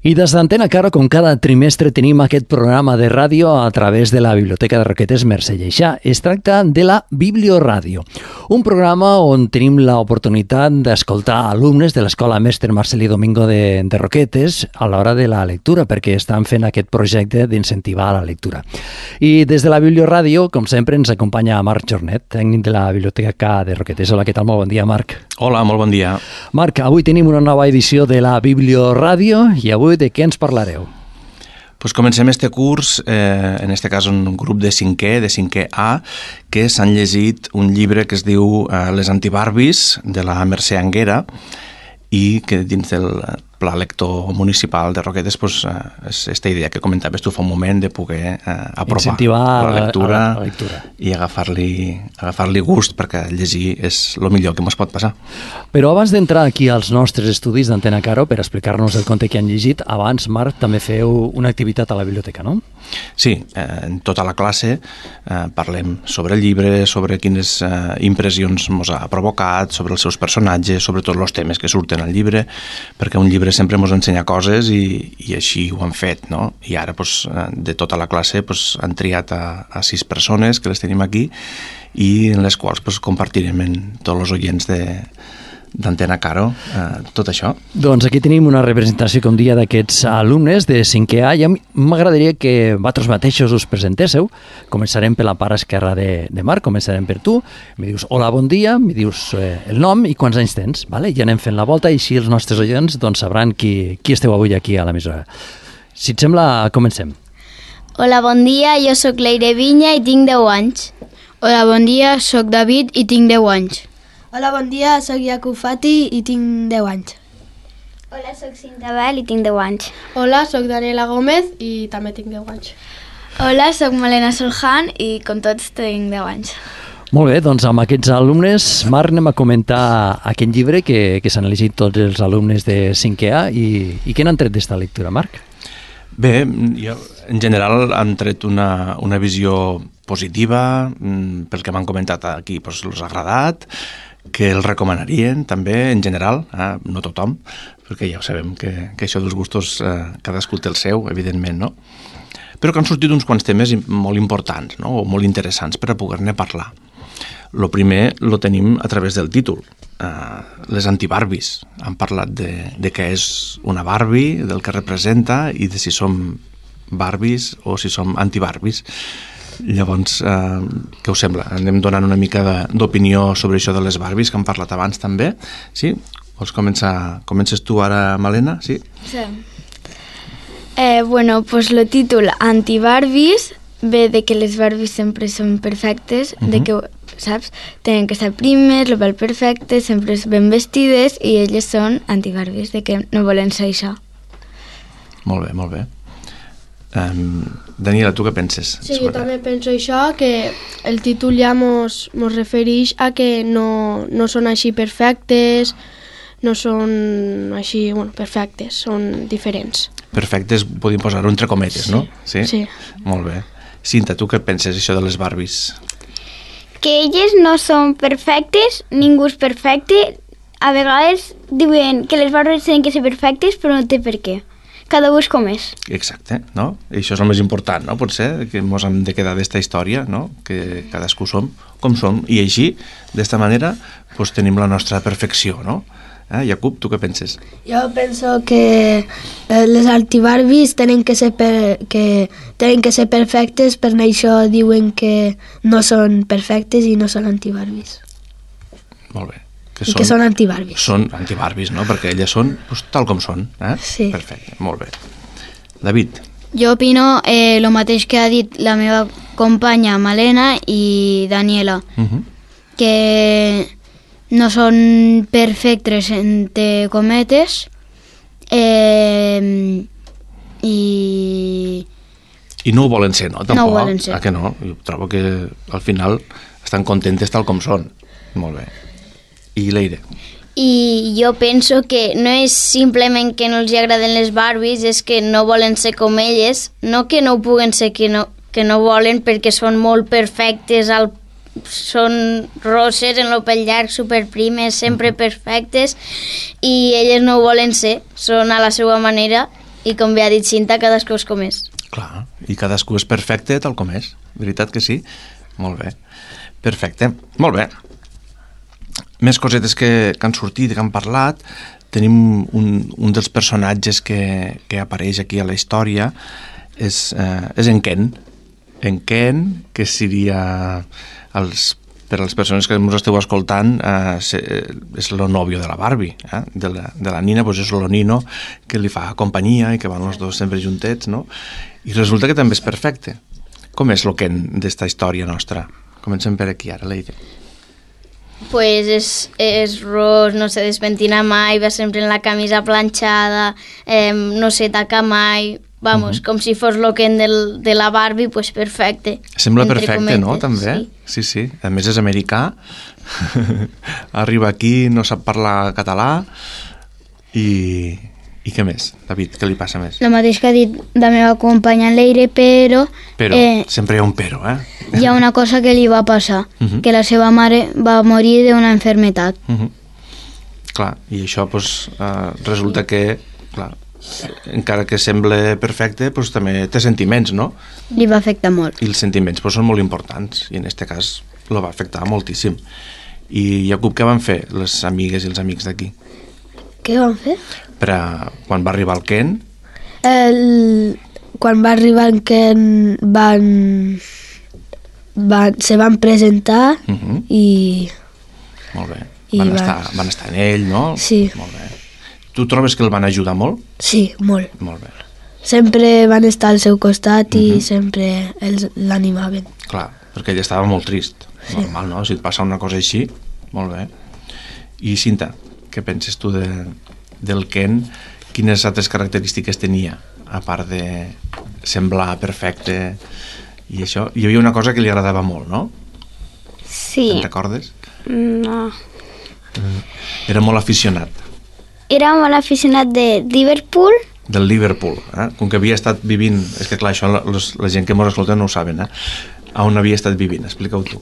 I des d'Antena Caro, com cada trimestre, tenim aquest programa de ràdio a través de la Biblioteca de Roquetes Mercè Lleixà. Es tracta de la Biblioràdio, un programa on tenim l'oportunitat d'escoltar alumnes de l'Escola Mestre Marcelí Domingo de Roquetes a l'hora de la lectura, perquè estan fent aquest projecte d'incentivar la lectura. I des de la Biblioràdio, com sempre, ens acompanya Marc Jornet, tècnic de la Biblioteca de Roquetes. Hola, què tal? Molt bon dia, Marc. Hola, molt bon dia. Marc, avui tenim una nova edició de la Biblioràdio i avui de què ens parlareu? Pues comencem este curs, en este cas un grup de 5è A, que s'han llegit un llibre que es diu Les antibarbis, de la Mercè Anguera, i que dins del Pla Lector Municipal de Roquetes és aquesta idea que comentaves tu fa un moment de poder apropar incentivar la lectura, la lectura i agafar-li gust, perquè llegir és el millor que ens pot passar. Però abans d'entrar aquí als nostres estudis d'Antena Caro per explicar-nos el conte que han llegit, abans, Marc, també feu una activitat a la biblioteca, no? Sí, en tota la classe parlem sobre el llibre, sobre quines impressions ens ha provocat, sobre els seus personatges, sobre tots els temes que surten al llibre, perquè un llibre sempre ens ensenya coses i així ho han fet, no? I ara, de tota la classe, han triat a 6 persones que les tenim aquí i en les quals compartirem amb tots els oients d'Antena Caro tot això. Doncs aquí tenim una representació, com dia, d'aquests alumnes de 5è A, i m'agradaria que vosaltres mateixos us presentéssiu. Començarem per la part esquerra de Marc, començarem per tu. Mi dius hola, bon dia, mi dius el nom i quants anys tens, vale? I anem fent la volta i així els nostres oients sabran qui esteu avui aquí a l'emissora. Si et sembla, comencem. Hola, bon dia, jo sóc Leire Vinya i tinc 10 anys. Hola, bon dia, sóc David i tinc 10 anys. Hola, bon dia, sóc Jakub Fati i tinc 10 anys. Hola, sóc Cinta Bel i tinc 10 anys. Hola, sóc Daniela Gómez i també tinc 10 anys. Hola, sóc Malena Soljan i com tots tinc 10 anys. Molt bé, doncs amb aquests alumnes, Marc, anem a comentar aquest llibre que s'han llegit tots els alumnes de 5è A i què n'han tret d'esta lectura, Marc? Bé, en general han tret una visió positiva, pel que m'han comentat aquí, els ha agradat, que el recomanarien també, en general, no tothom, perquè ja ho sabem que això dels gustos cadascú té el seu, evidentment, no? Però que han sortit uns quants temes molt importants, no? O molt interessants per a poder-ne parlar. El primer lo tenim a través del títol, les antibarbis. Han parlat de què és una Barbie, del que representa i de si som Barbies o si som antibarbis. Llavors, què us sembla? Anem donant una mica d'opinió sobre això de les Barbies, que hem parlat abans també. Sí? Vols començar? Comences tu ara, Malena? Sí? Sí. Bueno, pues el títol Antibarbies ve de que les Barbies sempre són perfectes, de que, saps, tenen que estar primes, el pèl perfecte, sempre ben vestides i elles són antibarbies, de que no volen ser això. Molt bé, molt bé. Daniela, tu què penses? Sí, jo també penso això, que el títol ja mos refereix a que no són així perfectes, no són així, perfectes, són diferents. Perfectes, podem posar-ho entre cometes, no? Sí. Molt bé. Cinta, tu què penses això de les Barbies? Que elles no són perfectes, ningú és perfecte. A vegades diuen que les Barbies tenen que ser perfectes, però no té per què. Cada un és com és. Exacte, no? I això és el més important, no? Potser que ens hem de quedar d'esta història, no? Que cadascú som com som. I així, d'esta manera, tenim la nostra perfecció, no? Jakub, tu què penses? Jo penso que les antibarbies tenen que ser perfectes, per això diuen que no són perfectes i no són antibarbies. Molt bé. Que són antibarbies. Són antibarbies, no? Perquè elles són tal com són. Sí. Perfecte, molt bé. David? Jo opino el mateix que ha dit la meva companya Malena i Daniela, que no són perfectes entre cometes i no ho volen ser, no? Tampoc. No ho volen ser. Que no? Jo trobo que al final estan contentes tal com són. Molt bé. I Leire? I jo penso que no és simplement que no els agraden les Barbies, és que no volen ser com elles, no que no ho puguen ser, que no volen, perquè són molt perfectes al són roses en el pell llarg, superprimes, sempre perfectes, i elles no ho volen ser, són a la seva manera I com bé ha dit Cinta, cadascú es comés. Clar, i cadascú és perfecte tal com és. Veritat que sí? Molt bé. Perfecte. Molt bé. Més cosetes que han sortit, que han parlat. Tenim un dels personatges que apareix aquí a la història, és en Ken. En Ken, que seria, per a les persones que ens esteu escoltant, és el nòvio de la Barbie, de la Nina, doncs és el Nino, que li fa companyia i que van els dos sempre juntets, no? I resulta que també és perfecte. Com és el Ken d'esta història nostra? Comencem per aquí ara, Leire. Pues és ros, no se despentina mai, va sempre en la camisa planxada, no se taca mai, vamos, com si fos lo Ken de la Barbie, pues perfecte. Sembla perfecte, no?, també? Sí, sí. A més és americà, arriba aquí, no sap parlar català, i què més? David, què li passa més? El mateix que ha dit la meva companya Leire, però... Però, sempre hi ha un però, hi ha una cosa que li va passar, que la seva mare va morir d'una enfermetat. Clar, i això pues, resulta que, clar, encara que sembla perfecte, pues, també té sentiments, no? Li va afectar molt. I els sentiments pues, són molt importants, i en aquest cas lo va afectar moltíssim. I Jacob, què van fer les amigues i els amics d'aquí? Què van fer? Quan va arribar el Ken? Quan va arribar el Ken se van presentar i... Molt bé. Van estar en ell, no? Sí. Molt bé. Tu trobes que el van ajudar molt? Sí, molt. Molt bé. Sempre van estar al seu costat i sempre l'animaven. Clar, perquè ell estava molt trist. Sí. Normal, no? Si et passa una cosa així, molt bé. I Cinta, què penses tu del Ken? Quines altres característiques tenia, a part de semblar perfecte i això? Hi havia una cosa que li agradava molt, no? Sí. Te'n recordes? No. Era molt aficionat. Era molt aficionat de Liverpool. Del Liverpool, Com que havia estat vivint... És que clar, això la gent que mos escolta no ho saben, A on havia estat vivint? Explica-ho tu.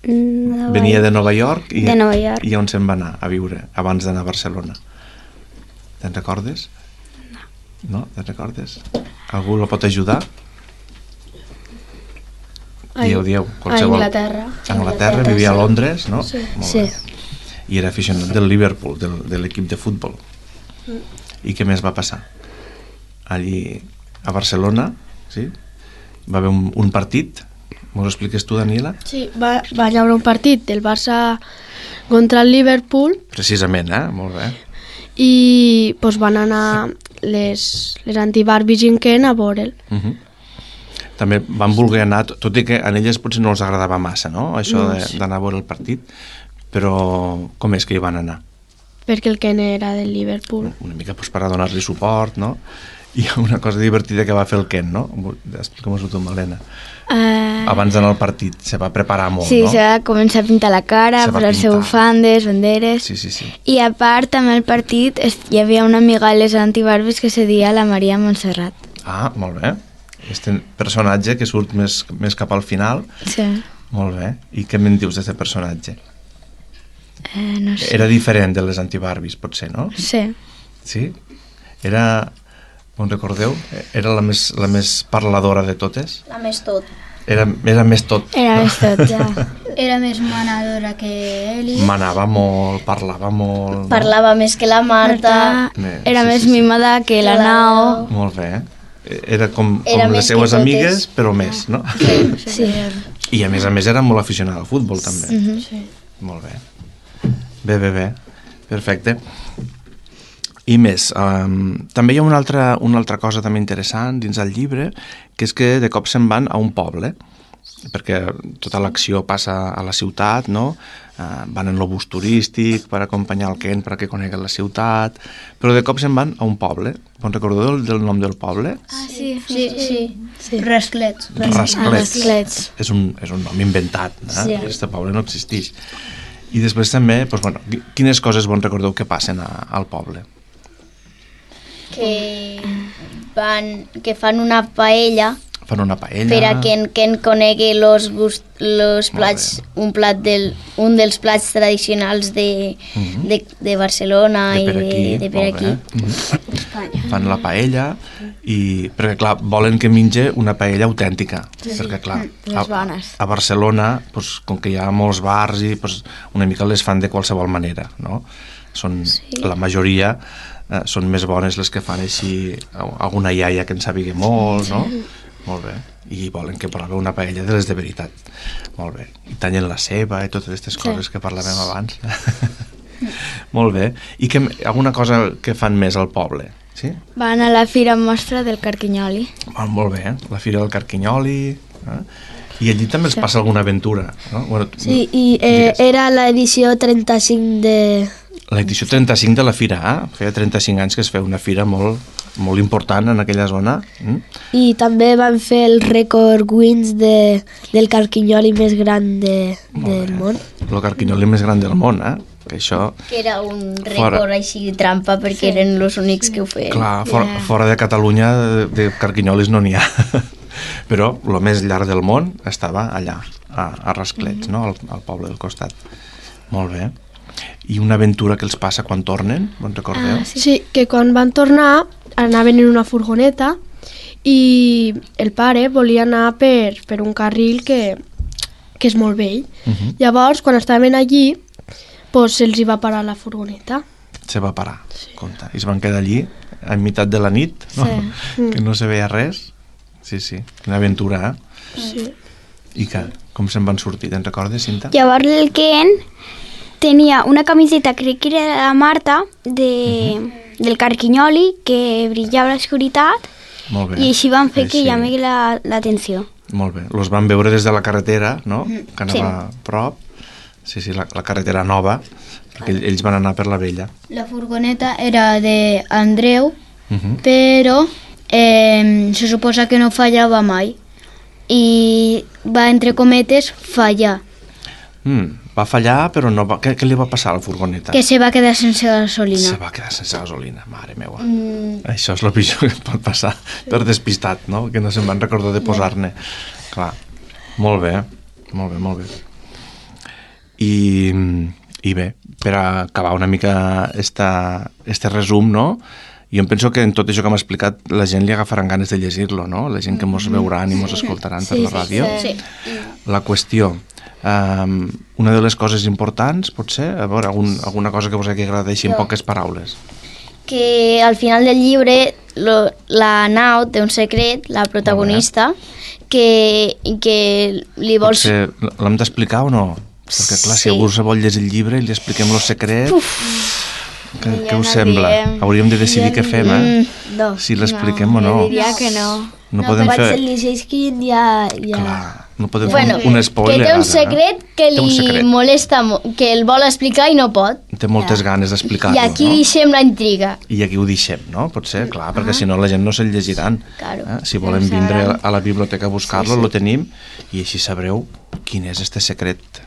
Venia de Nova York i on se'n va anar a viure abans d'anar a Barcelona? Te'n recordes? No, te'n recordes? Algú la pot ajudar? Dieu, qualsevol. A Anglaterra. A Anglaterra, vivia a Londres, no? Sí. Molt bé. I era aficionat del Liverpool, de l'equip de futbol. I què més va passar? Allí a Barcelona, sí? Va haver un partit. M'ho expliques tu, Daniela? Sí, va haver un partit del Barça contra el Liverpool. Precisament, molt bé. I pues, van anar les anti-Barbies i en Ken a veure'l. També van voler anar, tot i que a elles potser no els agradava massa, no? Això d'anar a veure el partit, però com és que hi van anar? Perquè el Ken era del Liverpool. Una mica pues, per a donar-li suport, no? I una cosa divertida que va fer el Ken, no? Explica'm-ho tu, Malena. Abans d'anar al partit, se va preparar molt, sí, no? Sí, se va començar a pintar la cara, posar-se bufandes, banderes... Sí. I a part, també al partit hi havia una amiga de les antibarbies que se deia la Maria Montserrat. Molt bé. Este personatge que surt més cap al final. Sí. Molt bé. I què me'n dius d'aquest personatge? No sé. Era diferent de les antibarbies, potser, no? Sí. Sí? Era... On recordeu? Era la més parladora de totes? La més tot. Era més tot. Era més tot, ja. Era més manadora que ell. Manava molt, parlava molt... Parlava més que la Marta. Era més mimada que la Nao. Molt bé. Era com les seues amigues, però més, no? Sí. I a més era molt aficionada al futbol, també. Sí. Molt bé. Bé. Perfecte. I més, també hi ha una altra cosa també interessant dins del llibre, que és que de cop se'n van a un poble, perquè tota l'acció passa a la ciutat, no? Van en l'obús turístic per acompanyar el Ken perquè conegui la ciutat, però de cop se'n van a un poble. Vos recordeu del nom del poble? Sí. Rasclets. Rasclets. És un nom inventat, Sí. Este poble no existeix. I després també, quines coses vos recordeu que passen al poble? Que fan una paella. Fan una paella. Per a que en conegui los plats, un dels plats tradicionals de Barcelona i de per aquí. Fan la paella perquè clar, volen que mengi una paella autèntica, perquè clar, les bones. a Barcelona, doncs, com que hi ha molts bars i doncs, una mica les fan de qualsevol manera, no? La majoria són més bones les que fan així alguna iaia que en sàpiga molt, no? Molt bé. I volen que proveu una paella de les de veritat. Molt bé. I tallen la ceba i totes aquestes coses que parlàvem abans. Molt bé. I alguna cosa que fan més al poble? Sí? Van a la Fira Mostra del Carquinyoli. Molt bé. La Fira del Carquinyoli. I allí també els passa alguna aventura, no? Bueno, sí, i era l'edició 35 de... L'edició 35 de la Fira, feia 35 anys que es feia una fira molt important en aquella zona. I també van fer el rècord Guinness del carquinyoli més gran del món. El carquinyoli més gran del món, que això... Que era un rècord així trampa perquè eren els únics que ho feien. Clar, fora de Catalunya de carquinyolis no n'hi ha. Però el més llarg del món estava allà, a Rasclets, no? Al poble del costat. Molt bé. I una aventura que els passa quan tornen, on recordeu? Sí, que quan van tornar anaven en una furgoneta i el pare volia anar per un carril que és molt vell. Llavors, quan estaven allí, pues, se'ls hi va parar la furgoneta. Se va parar, compte. I es van quedar allí a meitat de la nit, no? Que no se veia res. Sí, una aventura, Sí. I com se'n van sortir, te'n recordes, Cinta? Llavors el Ken tenia una camiseta, crec que era de la Marta, del carquinyoli, que brillava a l'oscuritat, i així van fer que llamés l'atenció. Molt bé. Los van veure des de la carretera, no? Que anava a prop. Sí, la carretera nova, perquè ells van anar per la vella. La furgoneta era d'Andreu, però se suposa que no fallava mai. I va, entre cometes, fallar. Va fallar, però no va... Què li va passar a la furgoneta? Que se va quedar sense gasolina. Se va quedar sense gasolina, mare meua. Això és el pitjor que pot passar per despistat, no? Que no se'n van recordar de posar-ne. Clar. Molt bé. I bé, per acabar una mica este resum, no? Jo em penso que en tot això que m'ha explicat la gent li agafaran ganes de llegir-lo, no? La gent que mos veuran i mos escoltaran per la ràdio. La qüestió, una de les coses importants, potser, a veure, alguna cosa que vos hagi agradat així en poques paraules. Que al final del llibre la Nau té un secret, la protagonista, que li vols... Potser l'hem d'explicar o no? Perquè clar, si algú se vol llegir el llibre i li expliquem el secret... Què us sembla? Hauríem de decidir què fem, si l'expliquem o no. Jo diria que no. No podem fer... Potser li llegeixin ja... Clar, no podem fer un spoiler. Que té un secret que li molesta, que el vol explicar i no pot. Té moltes ganes d'explicar-lo, no? I aquí deixem la intriga. I aquí ho deixem, no? Potser, clar, perquè si no la gent no se'l llegiran. Si volen vindre a la biblioteca a buscar-lo, lo tenim, i així sabreu quin és este secret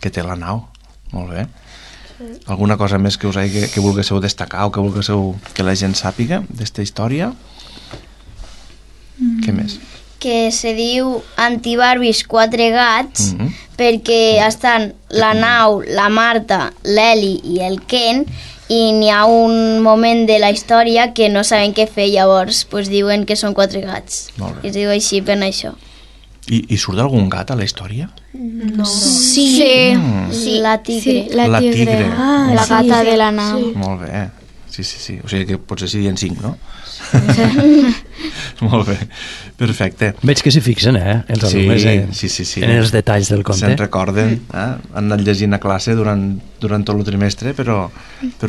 que té la Nau. Molt bé. Alguna cosa més que volguéssiu destacar o que volguéssiu que la gent sàpiga d'esta història? Què més? Que se diu Antibarbis 4 gats perquè estan la Nau, la Marta, l'Eli i el Ken, i n'hi ha un moment de la història que no saben què fer, llavors diuen que són 4 gats. I es diu així per això. I surt algun gat a la història? No. Sí. La tigre. La tigre. La gata de la Nau. Molt bé. Sí. O sigui que potser serien 5, no? Molt bé. Perfecte. Veig que s'hi fixen, els alumnes en els detalls del conte. Se'n recorden, han anat llegint a classe durant tot el trimestre, però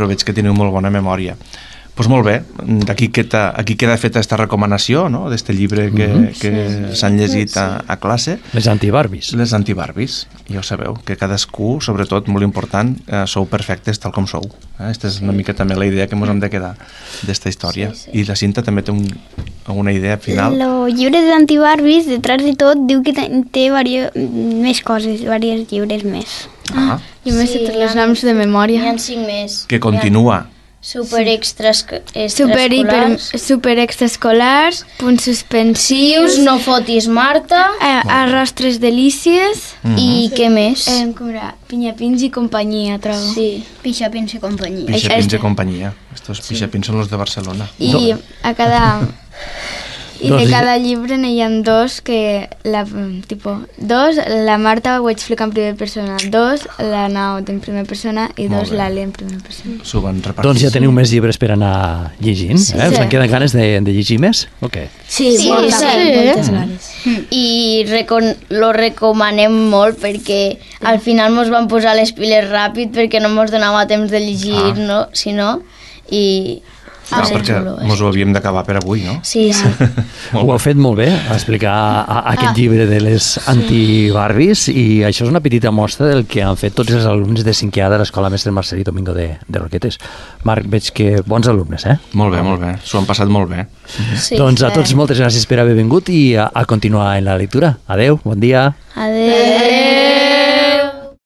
veig que teniu molt bona memòria. Doncs molt bé, aquí queda feta aquesta recomanació, no?, d'este llibre que s'han llegit a classe. Les Antibarbis. Les Antibarbis. Ja ho sabeu, que cadascú, sobretot, molt important, sou perfectes tal com sou. Aquesta és una mica també la idea que ens hem de quedar d'esta història. I la Cinta també té una idea final. El llibre d'Antibarbis, detrás de tot, diu que té més coses, diversos llibres més. Jo m'he fet els noms de memòria. N'hi ha 5 més. Que continua. Super extraescolars, punts suspensius, no fotis Marta, arrostres delícies i què més? Com era? Pinyapins i companyia, trobo. Sí. Pixapins i companyia. Pixapins i companyia. Estos pixapins són los de Barcelona. I a cada... I de cada llibre n'hi ha dos que la Marta ho explica en primera persona, dos la Nau en primera persona i dos l'Ali en primera persona. S'ho van repartir. Doncs ja teniu més llibres per anar llegint, eh? Us en queden ganes de llegir més? O què? Sí, moltes ganes. I lo recomanem molt perquè al final mos van posar les piles ràpid perquè no mos donava temps de llegir, no? Si no, i... perquè mos ho havíem d'acabar per avui, no? Sí. Ho heu fet molt bé, a explicar aquest llibre de les antibarbies, i això és una petita mostra del que han fet tots els alumnes de 5è A de l'Escola Mestre Marcelí Domingo de Roquetes. Marc, veig que bons alumnes, eh? Molt bé, s'ho han passat molt bé. Sí, doncs a tots moltes gràcies per haver vingut i a continuar en la lectura. Adeu, bon dia. Adeu.